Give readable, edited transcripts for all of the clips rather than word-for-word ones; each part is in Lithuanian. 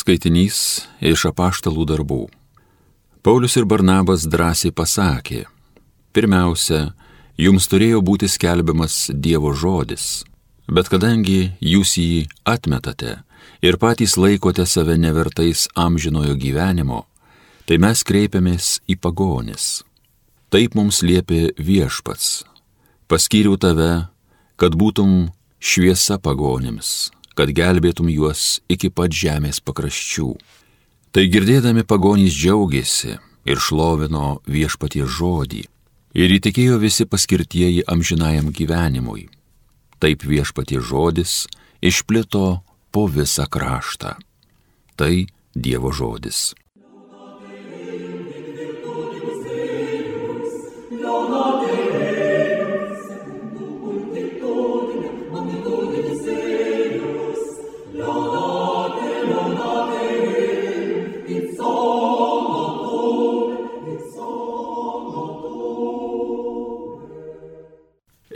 Skaitinys iš Apaštalų darbų. Paulius ir Barnabas drąsiai pasakė: pirmiausia, jums turėjo būti skelbiamas Dievo žodis, bet kadangi jūs jį atmetate ir patys laikote save nevertais amžinojo gyvenimo, tai mes kreipiamės į pagonis. Taip mums liepė Viešpats: paskyriau tave, kad būtum šviesa pagonims, kad gelbėtum juos iki pat žemės pakraščių. Tai girdėdami pagonys džiaugėsi ir šlovino Viešpaties žodį, ir įtikėjo visi paskirtieji amžinajam gyvenimui. Taip Viešpaties žodis išplito po visą kraštą. Tai Dievo žodis.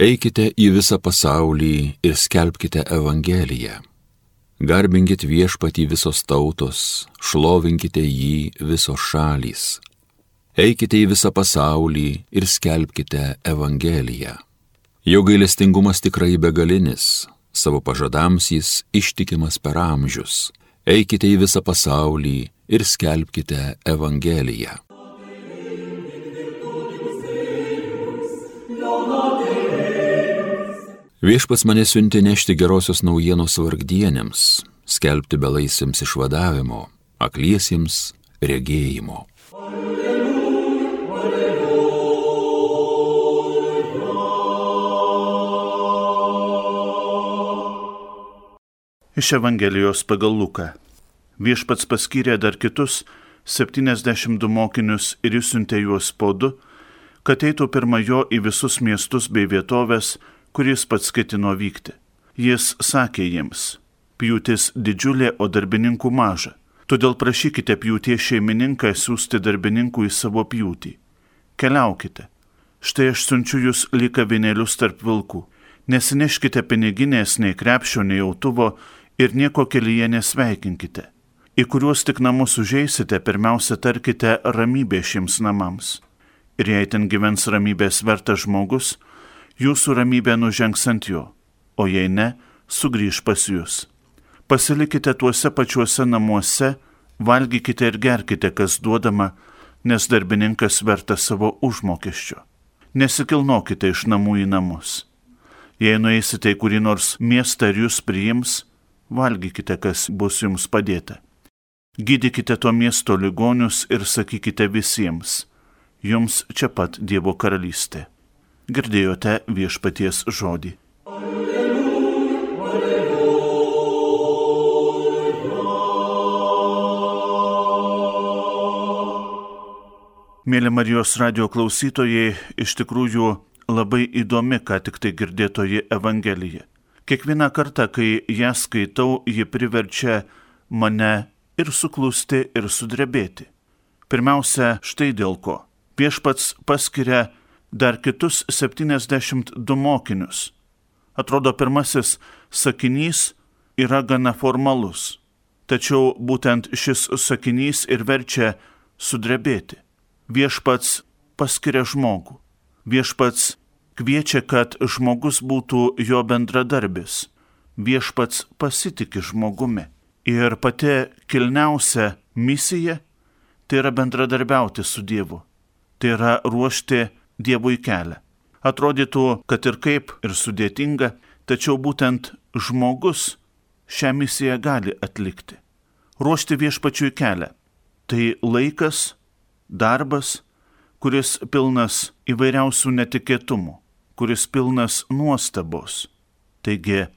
Eikite į visą pasaulį ir skelbkite Evangeliją. Garbinkit Viešpatį visos tautos, šlovinkite jį visos šalys. Eikite į visą pasaulį ir skelbkite Evangeliją. Jo gailestingumas tikrai begalinis, savo pažadams jis ištikimas per amžius. Eikite į visą pasaulį ir skelbkite Evangeliją. Viešpats mane siuntė nešti gerosios naujienos vargdienėms, skelbti belaisviams išvadavimo, akliesiems regėjimo. Iš Evangelijos pagal Luką. Viešpats paskyrė dar kitus 72 mokinius ir išsiuntė juos po 2, kad eitų pirma jo į visus miestus bei vietovės, kuris pats ketino vykti. Jis sakė jiems: pjūtis didžiulė, o darbininkų maža. Todėl prašykite pjūties šeimininką siųsti darbininkų į savo pjūtį. Keliaukite. Štai aš siunčiu jūs lyg avinėlius tarp vilkų. Nesineškite piniginės, nei krepšio, nei autuvo ir nieko kelyje nesveikinkite. Į kuriuos tik namus užeisite, pirmiausia tarkite ramybė šiems namams. Ir jei ten gyvens ramybės vertas žmogus, jūsų ramybė nužengs ant jo, o jei ne, sugrįž pas jūs. Pasilikite tuose pačiuose namuose, valgykite ir gerkite, kas duodama, nes darbininkas vertas savo užmokesčio. Nesikilnokite iš namų į namus. Jei nueisite į kurį nors miestą ir jūs priims, valgykite, kas bus jums padėta. Gydykite to miesto ligonius ir sakykite visiems: jums čia pat Dievo karalystė. Girdėjote Viešpaties žodį. Mėly Marijos radijo klausytojai, iš tikrųjų labai įdomi, ką tik tai girdėtoji Evangelija. Kiekvieną kartą, kai ją skaitau, ji priverčia mane ir suklusti, ir sudrebėti. Pirmiausia, štai dėl ko. Viešpats paskiria dar kitus 72 mokinius. Atrodo, pirmasis sakinys yra gana formalus, tačiau būtent šis sakinys ir verčia sudrebėti. Viešpats paskiria žmogų. Viešpats kviečia, kad žmogus būtų jo bendradarbis. Viešpats pasitiki žmogumi. Ir pati kilniausia misija tai yra bendradarbiauti su Dievu. Tai yra ruošti Dievui kelią. Atrodytų, kad ir kaip ir sudėtinga, tačiau būtent žmogus šią misiją gali atlikti. Ruošti Viešpačiui kelią. Tai laikas, darbas, kuris pilnas įvairiausių netikėtumų, kuris pilnas nuostabos. Taigi,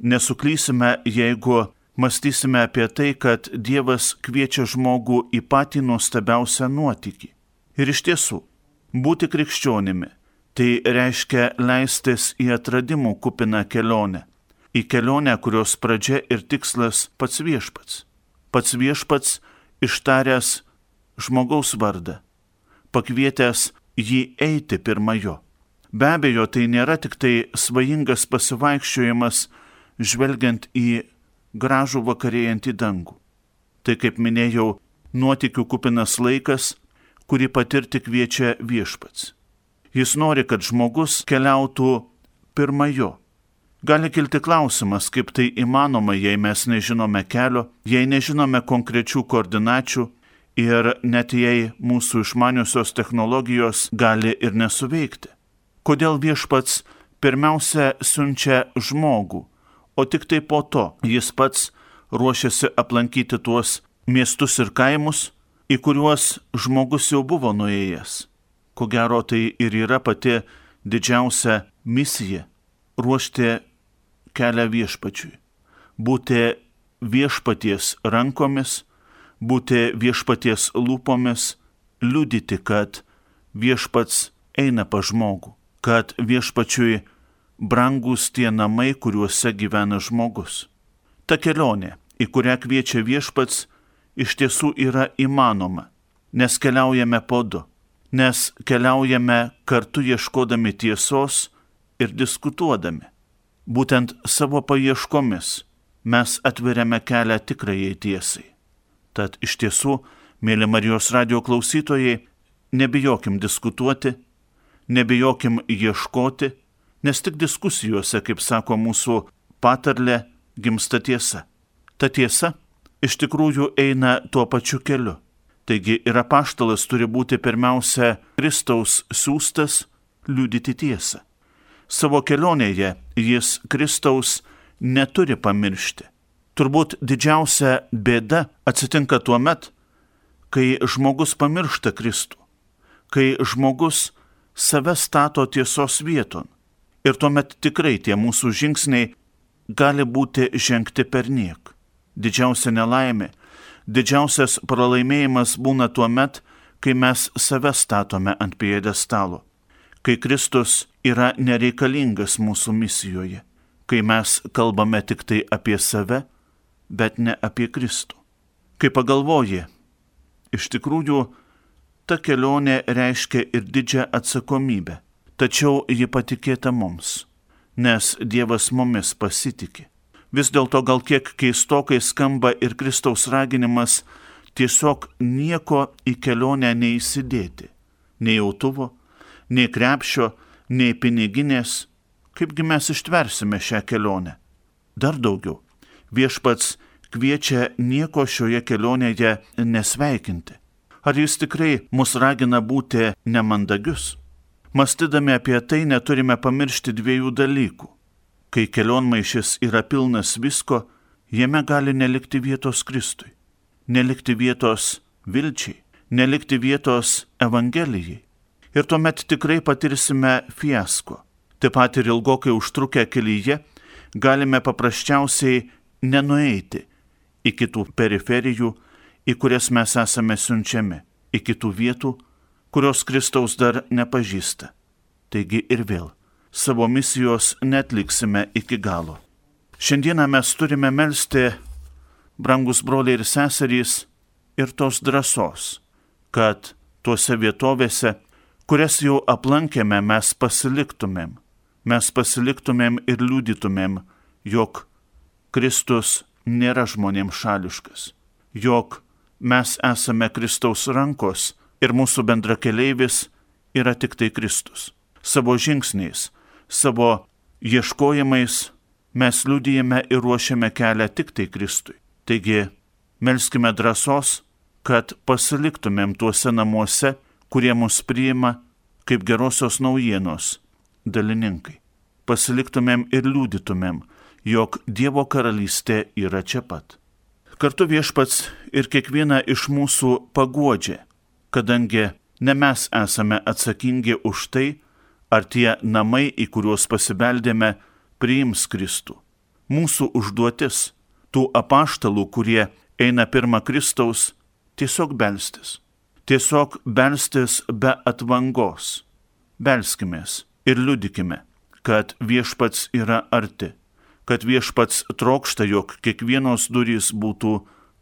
nesuklysime, jeigu mąstysime apie tai, kad Dievas kviečia žmogų į patį nuostabiausią nuotykį. Ir iš tiesų, būti krikščionimi tai reiškia leistis į atradimų kupiną kelionę. Į kelionę, kurios pradžia ir tikslas pats Viešpats. Pats Viešpats ištaręs žmogaus vardą, pakvietęs jį eiti pirma jo. Be abejo, tai nėra tik tai svajingas pasivaikščiojimas žvelgiant į gražų vakarėjantį dangų. Tai, kaip minėjau, nuotykių kupinas laikas, kurį patirti kviečia Viešpats. Jis nori, kad žmogus keliautų pirma jo. Gali kilti klausimas, kaip tai įmanoma, jei mes nežinome kelio, jei nežinome konkrečių koordinačių ir net jei mūsų išmaniusios technologijos gali ir nesuveikti. Kodėl Viešpats pirmiausia siunčia žmogų, o tik tai po to jis pats ruošiasi aplankyti tuos miestus ir kaimus, į kuriuos žmogus jau buvo nuėjęs. Ko gero tai ir yra pati didžiausia misija - ruošti kelią Viešpačiui, būti Viešpaties rankomis, būti Viešpaties lūpomis, liudyti, kad Viešpats eina pas žmogų, kad Viešpačiui brangus tie namai, kuriuose gyvena žmogus. Ta kelionė, į kurią kviečia Viešpats, iš tiesų yra įmanoma, nes keliaujame po du, nes keliaujame kartu ieškodami tiesos ir diskutuodami. Būtent savo paieškomis mes atveriame kelią tikrajai tiesai. Tad iš tiesų, mėly Marijos radijo klausytojai, nebijokim diskutuoti, nebijokim ieškoti, nes tik diskusijose, kaip sako mūsų patarlė, gimsta tiesa. Ta tiesa iš tikrųjų eina tuo pačiu keliu. Taigi ir apaštalas turi būti pirmiausia Kristaus siųstas liudyti tiesą. Savo kelionėje jis Kristaus neturi pamiršti. Turbūt didžiausia bėda atsitinka tuo met, kai žmogus pamiršta Kristų, kai žmogus save stato tiesos vieton. Ir tuomet tikrai tie mūsų žingsniai gali būti žengti perniek. Didžiausia nelaimė, didžiausias pralaimėjimas būna tuo met, kai mes save statome ant pjedestalo, kai Kristus yra nereikalingas mūsų misijoje, kai mes kalbame tik tai apie save, bet ne apie Kristų. Kai pagalvoji, iš tikrųjų, ta kelionė reiškia ir didžią atsakomybę, tačiau ji patikėta mums, nes Dievas mumis pasitikė. Vis dėlto gal kiek keistokai skamba ir Kristaus raginimas tiesiog nieko į kelionę neįsidėti, nei autuvo, nei krepšio, nei piniginės, kaipgi mes ištversime šią kelionę. Dar daugiau, Viešpats kviečia nieko šioje kelionėje nesveikinti. Ar jis tikrai mus ragina būti nemandagius? Mąstydami apie tai neturime pamiršti dviejų dalykų. Kai kelionmaišis yra pilnas visko, jame gali nelikti vietos Kristui, nelikti vietos vilčiai, nelikti vietos Evangelijai. Ir tuomet tikrai patirsime fiasko. Taip pat ir ilgokai užtrukę kelyje galime paprasčiausiai nenueiti į kitų periferijų, į kurias mes esame siunčiami, į kitų vietų, kurios Kristaus dar nepažįsta. Taigi ir vėl, savo misijos netliksime iki galo. Šiandieną mes turime melsti, brangus broliai ir seserys, ir tos drąsos, kad tuose vietovėse, kurias jau aplankėme, mes pasiliktumėm ir liudytumėm, jog Kristus nėra žmonėms šališkas, jog mes esame Kristaus rankos ir mūsų bendrakeleivis yra tik tai Kristus. Savo žingsniais, savo ieškojimais mes liudijame ir ruošiame kelią tik tai Kristui. Taigi, melskime drąsos, kad pasiliktumėm tuose namuose, kurie mus priima kaip gerosios naujienos dalininkai. Pasiliktumėm ir liudytumėm, jog Dievo karalystė yra čia pat. Kartu Viešpats ir kiekvieną iš mūsų paguodžia, kadangi ne mes esame atsakingi už tai, ar tie namai, į kuriuos pasibeldėme, priims Kristų. Mūsų užduotis, tų apaštalų, kurie eina pirma Kristaus, tiesiog belstis. Tiesiog belstis be atvangos. Belskimės ir liudykime, kad Viešpats yra arti, kad Viešpats trokšta, jog kiekvienos durys būtų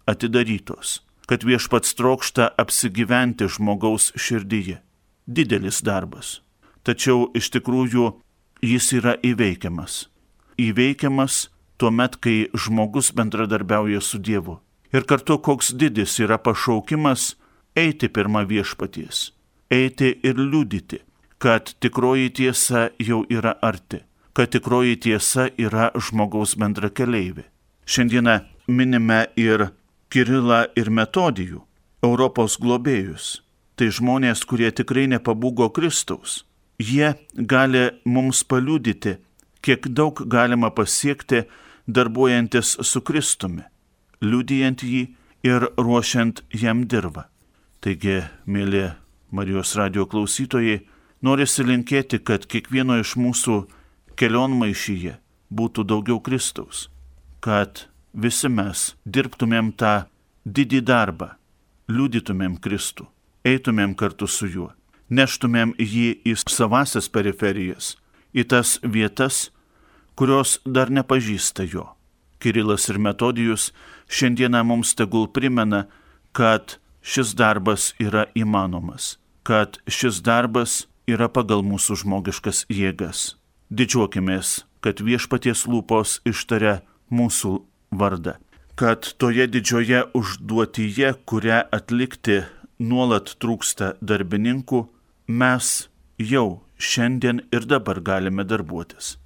atidarytos, kad Viešpats trokšta apsigyventi žmogaus širdyje. Didelis darbas. Tačiau iš tikrųjų jis yra įveikiamas. Įveikiamas tuomet, kai žmogus bendradarbiauja su Dievu. Ir kartu koks didis yra pašaukimas eiti pirma viešpaties, eiti ir liudyti, kad tikroji tiesa jau yra arti, kad tikroji tiesa yra žmogaus bendrakeleivė. Šiandieną minime ir Kirilą ir Metodijų, Europos globėjus. Tai žmonės, kurie tikrai nepabūgo Kristaus. Jie gali mums paliudyti, kiek daug galima pasiekti darbuojantis su Kristumi, liudijant jį ir ruošiant jam dirvą. Taigi, mėly Marijos radijo klausytojai, norisi linkėti, kad kiekvieno iš mūsų kelionmaišyje būtų daugiau Kristaus, kad visi mes dirbtumėm tą didį darbą, liudytumėm Kristų, eitumėm kartu su juo, neštumėm jį į savasias periferijas, į tas vietas, kurios dar nepažįsta jo. Kirilas ir Metodijus šiandieną mums tegul primena, kad šis darbas yra įmanomas, kad šis darbas yra pagal mūsų žmogiškas jėgas. Didžiuokimės, kad viešpaties lūpos ištaria mūsų vardą, kad toje didžioje užduotyje, kurią atlikti nuolat trūksta darbininkų, mes jau šiandien ir dabar galime darbuotis.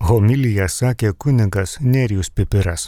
Homiliją sakė kunigas Nerijus Pipiras.